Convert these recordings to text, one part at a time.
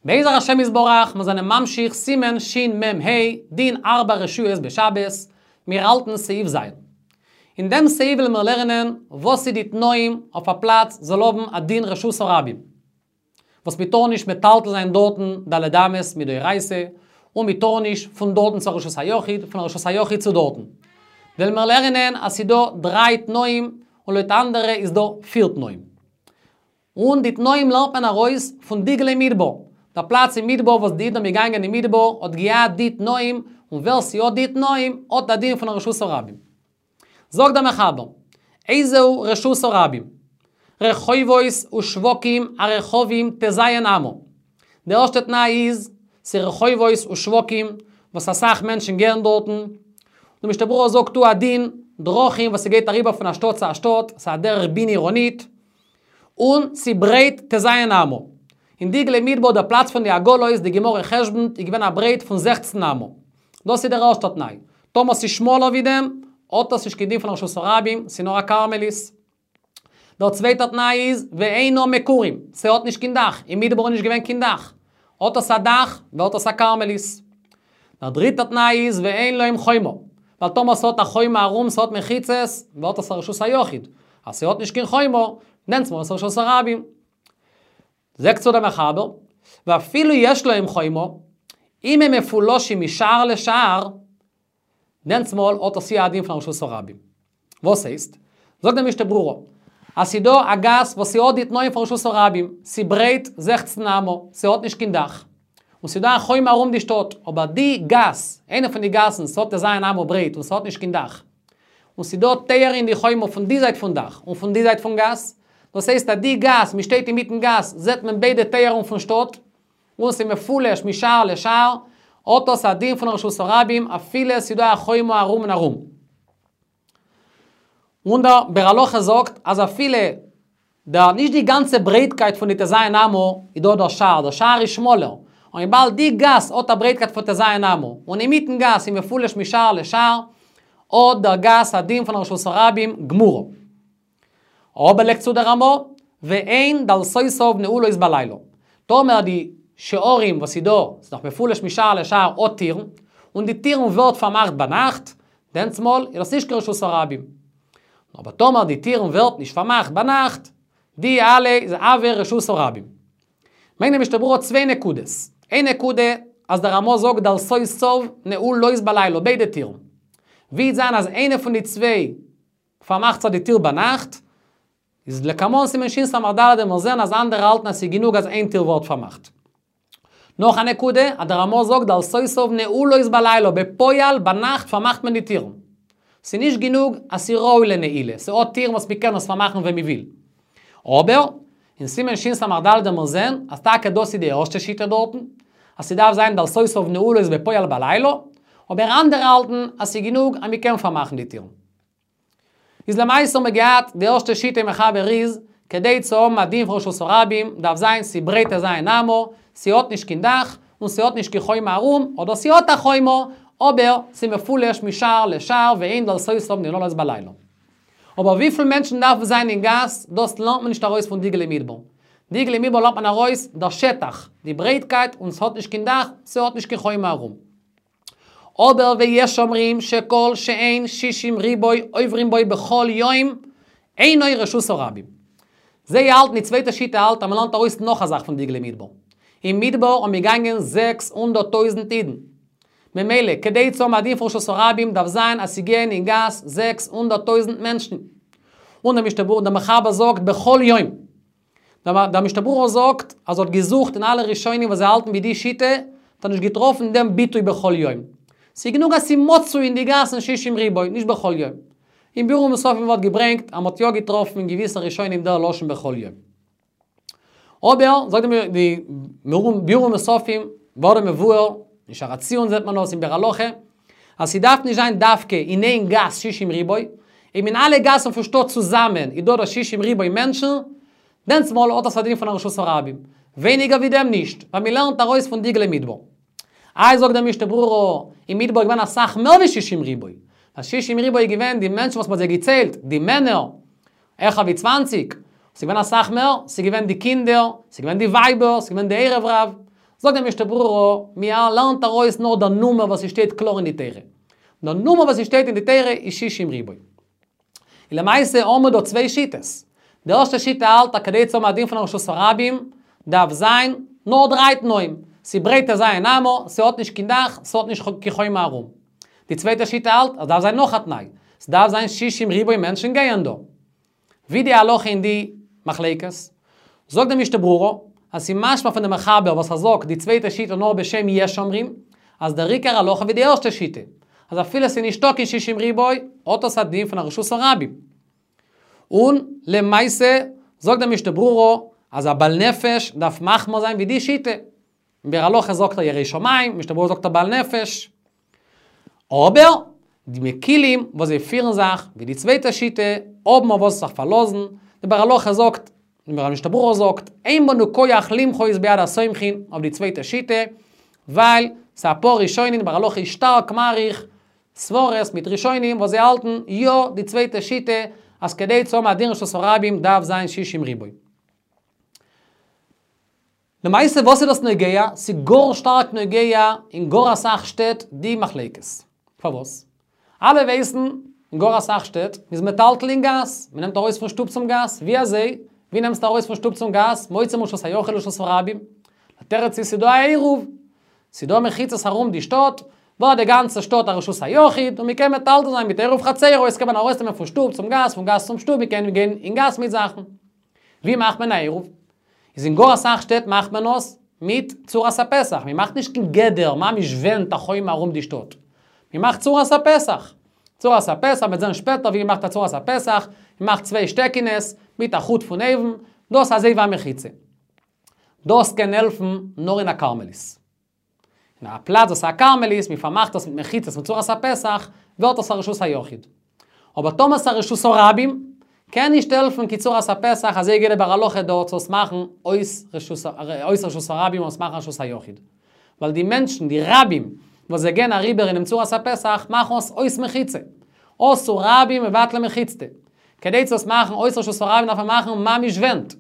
בעזר השם יתברך, מיר זענען ממשיך סימן שמ"ה, דין ארבע רשויות בשבת, מיר האלטן סעיף ז'. אין דעם סעיף וועלן מיר לערנען וואס איז די תנאים אויף א פלאץ זאל האבן א דין רשות הרבים. וואס מען טאר נישט מטלטל זיין דארטן ד' אמות מדאורייתא, און מען טאר נישט פון דארטן צו א רשות היחיד, פון א רשות היחיד צו דארטן. וועלן מיר לערנען אז ס'איז דא דריי תנאים, און לויט אנדערע איז דא פיר תנאים. און די תנאים לערנט מען ארויס פון דגלי מדבר. דער פלאץ אין מדבר וואס די אידן האבן געגאנגען אין מדבר האט געהאט די תנאים, און ווער ס'האט די תנאים האט א דין פון א רשות הרבים. זאגט דער מחבר, איזהו רשות הרבים? רחובות ושווקים הרחבים ט"ז אמה. די ערשטע תנאי איז, ס'רחובות ושווקים וואס אסאך מענטשן גייען דארטן, די משנה ברורה זאגט הוא הדין, דרכים וואס ס'גייט אריבער פון א שטאט צו א שטאט, ס'איז א דרך בין עירונית, און ס'ברייט ט"ז אמה. אין דגלי מדבר דער פלאץ פון די עגלות, די גמרא חשבונ'ט, איז געווען א ברייט פון זעכצן אמה. דאס איז דער ערשטער תנאי. טאמער ס'איז שמאלער ווי דעם, האט עס נישט קיין דין פון רשות הרבים, ס'איז נאר א כרמלית. דער צווייטער תנאי איז, ואינו מקורים, ס'האט נישט קיין דאך, אין מדבר איז נישט געווען קיין דאך. האט עס א דאך, ווערט עס א כרמלית. דער דריטער תנאי איז, ואין להם חומה. ווייל טאמער ס'האט א חומה ארום, ס'האט מחיצות, ווערט עס א רשות היחיד. אז ס'האט נישט קיין חומה, נעמט מען עס רשות הרבים. זאגט צו דער מחבר, ואפילו יש להם חומה, אם הם מפולשים משער לשער, דענסמאל האט עס יא א דין פון רשות הרבים. וואס הייסט? זאגט דער משנה ברורה, אז ס'דא א גאס וואס ס'האט די תנאים פון רשות הרבים, ס'ברייט זעכצן אמה, ס'האט נישט קיין דאך, און ס'דא א חומה ארום די שטאט, אבער די גאס, איינע פון די גאסן, ס'האט ט"ז אמה ברייט און ס'האט נישט קיין דאך, און ס'דא טויערן אין די חומה פון די זייט פון דאך און פון די זייט פון גאס, דאס הייסט אז די גאס, מ'שטייט אינמיטן גאס, זעט מען ביידע טויערן פון שטאט, און ס'איז מפולש משער לשער, האט דאס א דין פון רשות הרבים אפילו ס'איז דא א חומה ארום און ארום. און דער ביאור הלכה זאגט אז אפילו דער נישט די גאנצע ברייטקייט פון די ט"ז אמה איז דא דער שער, דער שער איז שמאלער, און וויבאלד די גאס האט א ברייטקייט פון ט"ז אמה, און אינמיטן גאס איז מפולש משער לשער, האט דער גאס א דין פון רשות הרבים גמורה. אבער לייגט צו דער רמ"א, ואין דלתותיו נעולות בלילה. טאמער די שערים וואס איז דא, ס'איז נאך מפולש משער לשער האט טירן, און די טירן ווערט פארמאכט ביינאכט, דענסמאל איז דאס נישט קיין רשות הרבים. אבער טאמער די טירן ווערט נישט פארמאכט ביינאכט, די אלע איז הוי רשות הרבים. ברענגט די משנה ברורה צוויי נקודות. איין נקודה, אז דער רמ"א זאגט דלתותיו נעולות בלילה, ביידע טירן. ווי וועט זיין אז איינע פון די צוויי פארמאכט זיך די טיר ביינאכט, איז לקמן סימן שס"ד וועלן מיר זען אז אנדערע האלטן אז ס'איז גענוג אז איין טיר ווערט פארמאכט. נאך א נקודה, אז דער רמ"א זאגט דלתותיו נעולות בלילה, בפועל ביינאכט פארמאכט מען די טירן. ס'איז נישט גענוג אז ס'איז ראוי לנעילה, ס'האט טירן וואס מ'קען עס פארמאכן ווען מ'וויל. אבער, אין סימן שס"ד וועלן מיר זען אז טאקע דאס איז די ערשטע שיטה דארטן, אז ס'דארף זיין דלתותיו נעולות בפועל בלילה, אבער אנדערע האלטן אז ס'איז גענוג אז מ'קען פארמאכן די טירן. איז למעשה האבן מיר געהאט די ערשטע שיטה אין מחבר איז, כדי צו האבן א דין פון רשות הרבים דארף זיין ס'ברייט ט"ז אמה, ס'האט נישט קיין דאך, און ס'האט נישט קיין חומה ארום, אדער ס'האט א חומה, אבער ס'מפולש משער לשער ואין דלתותיו ננעלות בלילה. אבער וויפיל מענטשן דארפן זיין אין גאס, דאס לערנט מען נישט ארויס פון דגלי מדבר. דגלי מדבר לערנט מען ארויס דער שטח, די ברייטקייט, און ס'האט נישט קיין דאך, ס'האט נישט קיין חומה ארום. אבער ויש אומרים שכל שאין שישים ריבוא עוברים בו בכל יום אינו רשות הרבים. זיי האלטן, די צווייטע שיטה האלט אז מ'לערנט ארויס נאך א זאך פון דגלי מדבר. אין מדבר האבן געגאנגען זעקס הונדערט טויזנט אידן. ממילא כדי צו האבן א דין פון רשות הרבים דארף זיין אז ס'גייען אין גאס זעקס הונדערט טויזנט מענטשן. און דער משנה ברורה, דער מחבר זאגט בכל יום. דער משנה ברורה זאגט אז ער האט געזוכט אין אלע ראשונים וואס זיי האלטן ווי די שיטה, האט ער נישט געטראפן דעם ביטוי בכל יום. ס'איז גענוג אז ס'איז מצוי אין די גאסן שישים ריבוא, נישט בכל יום. אין ביאור ומוספים ווערט געברענגט אז מ'האט יא געטראפן אין געוויסע ראשונים דער לשון בכל יום. אבער, זאגט די ביאור ומוספים, ווערט מבואר, אין שער הציון זעט מען דאס אין ביאור הלכה, אז ס'דארף נישט זיין דווקא אין איין גאס שישים ריבוא, אויב אין אלע גאסן פון שטאט צוזאמען איז דא דא שישים ריבוא מענטשן, דענסמאל האט עס א דין פון א רשות הרבים. ווייניגער ווי דעם נישט, ווייל מ'לערנט ארויס פון דגלי מדבר. איי זאגט דער משנה ברורה, אין מדבר איז געווען אסאך מער ווי שישים ריבוא. ווייל שישים ריבוא איז געווען די מענטשן וואס מ'האט זיי געציילט, די מענער, העכער ווי צוואנציג, ס'איז געווען אסאך מער, ס'איז געווען די קינדער, ס'איז געווען די ווייבער, ס'איז געווען די ערב רב. זאגט דער משנה ברורה, מען לערנט ארויס נאר דער נומער וואס ס'שטייט קלאר אין די תורה. דער נומער וואס ס'שטייט אין די תורה איז שישים ריבוא. און למעשה האבן מיר דא צוויי שיטות. די ערשטע שיטה האלט אז כדי צו האבן א דין פון א רשות הרבים, דארף זיין נאר דריי תנאים, ס'ברייט ט"ז אמה, ס'האט נישט קיין דאך, ס'האט נישט קיין חומה ארום. די צווייטע שיטה האלט אז דארף זיין נאך א תנאי, ס'דארף זיין שישים ריבוא מענטשן גייען דא. ווי די הלכה אין די מחלוקת? זאגט די משנה ברורה, אז ס'איז משמע פון די מחבר וואס ער זאגט די צווייטע שיטה נאר בשם יש אומרים, אז דער עיקר הלכה ווי די ערשטע שיטה, אז אפילו ס'איז נישטא קיין שישים ריבוא, האט עס א דין פון א רשות הרבים. און למעשה זאגט די משנה ברורה אז א בעל נפש דארף מחמיר זיין ווי די שיטה. ביאור הלכה זאגט ער ירא שמים, משנה ברורה זאגט ער בעל נפש. אבער די מקילים וואס זיי פירן זיך ווי די צווייטע שיטה האבן אויף וואס זיך פארלאזן, די ביאור הלכה זאגט, די משנה ברורה זאגט, אין בנו כח למחות ביד הסומכין אויף די צווייטע שיטה, ווייל ס'איז אפאר ראשונים, די ביאור הלכה איז שטארק מאריך סברות מיט ראשונים וואס זיי האלטן יא די צווייטע שיטה אז כדי צו האבן א דין רשות הרבים דארף זיין שישים ריבוא. למעשה וואס איז דאס נוגע? ס'איז גאר שטארק נוגע אין גאר אסאך שטעט די מחלוקת. פארוואס? אלע ווייסן, אין גאר אסאך שטעט, מ'איז מטלטל אין גאס, מ'נעמט ארויס פון שטוב צום גאס, ווי אזוי? ווי נעמסטו ארויס פון שטוב צום גאס? מוציא מרשות היחיד לרשות הרבים. דער תירוץ איז ס'איז דא א עירוב, ס'איז דא מחיצות ארום די שטאט, ווערט די גאנצע שטאט א רשות היחיד, און מ'קען מטלטל זיין מיט עירוב חצירות, קען מען ארויסנעמען פון שטוב צום גאס, פון גאס צום שטוב, מ'קען גיין אין גאס מיט זאכן. ווי מאכט מען א עירוב? איז אין גאר אסאך שטעט מאכט מען עס מיט צורת הפתח, מען מאכט נישט קיין גדר, ממש ווענט א חומה ארום די שטאט. מען מאכט צורת הפתח. צורת הפתח, מ'וועט זען שפעטער ווי מען מאכט א צורת הפתח, מען מאכט צוויי שטעקינעס, מיט א חוט פון אויבן, דאס אזוי ווי א מחיצה. דאס קען העלפן נאר אין א כרמלית. אין א פלאץ וואס איז א כרמלית, מען פארמאכט עס מיט מחיצות מיט צורת הפתח, ווערט עס א רשות היחיד. אבער טאמער ס'איז א רשות הרבים, קען נישט העלפן קיין צורת הפתח, אזוי גייט די ביאור הלכה דארט צו עס מאכן אויס רשות הרבים און עס מאכן רשות היחיד. ווייל די מענטשן, די רבים, וואס זיי גייען אריבער אינעם צורת הפתח, מאכן עס אויס מחיצה. אתו רבים מבטלי מחיצתא. כדי צו עס מאכן אויס רשות הרבים דארף מען מאכן ממש ווענט.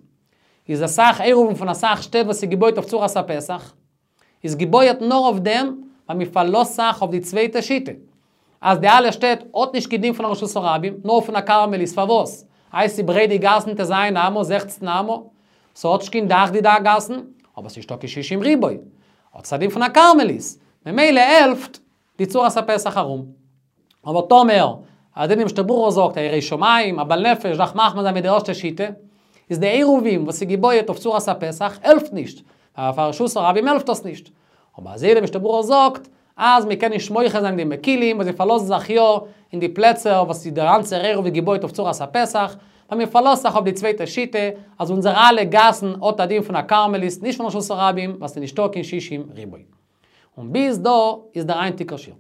איז אסאך עירובין פון אסאך שטעט וואס איז געבויט אויף צורת הפתח, איז געבויעט נאר אויף דעם ווייל מען פארלאזט זיך אויף די צווייטע שיטה, אז די אלע שטעט האט נישט קיין דין פון א רשות הרבים, נאר פון א כרמלית, פארוואס? איי ס'ברייט די גאסן ט"ז אמה, זעכצן אמה, ס'האט נישט קיין דאך די גאסן, אבער ס'נישטא קיין שישים ריבוא, האט עס א דין פון א כרמלית, ממילא העלפט די צורת הפתח ארום. אבער טאמער, אזוי די משנה ברורה זאגט, א ירא שמים, א בעל נפש, דארף מחמיר זיין מיט די ערשטע שיטה, איז די עירובין וואס איז געבויעט אויף צורת הפתח העלפט נישט, ווייל פאר רשות הרבים העלפט דאס נישט. אבער אזוי די משנה ברורה זאגט, אז מען קען נישט מוחה זיין די מקילים וואס זיי פארלאזן זיך יא אין די פלעצער וואס איז דער גאנצער עירוב איז געבויט אויף צורת הפתח, ווייל מען פארלאזט זיך אויף די צווייטע שיטה, אז אונזערע אלע גאסן האט א דין פון א כרמלית, נישט פון רשות הרבים, ווייל ס'איז נישטא קיין שישים ריבוא. און ביז דא איז דער היינטיגער שיעור.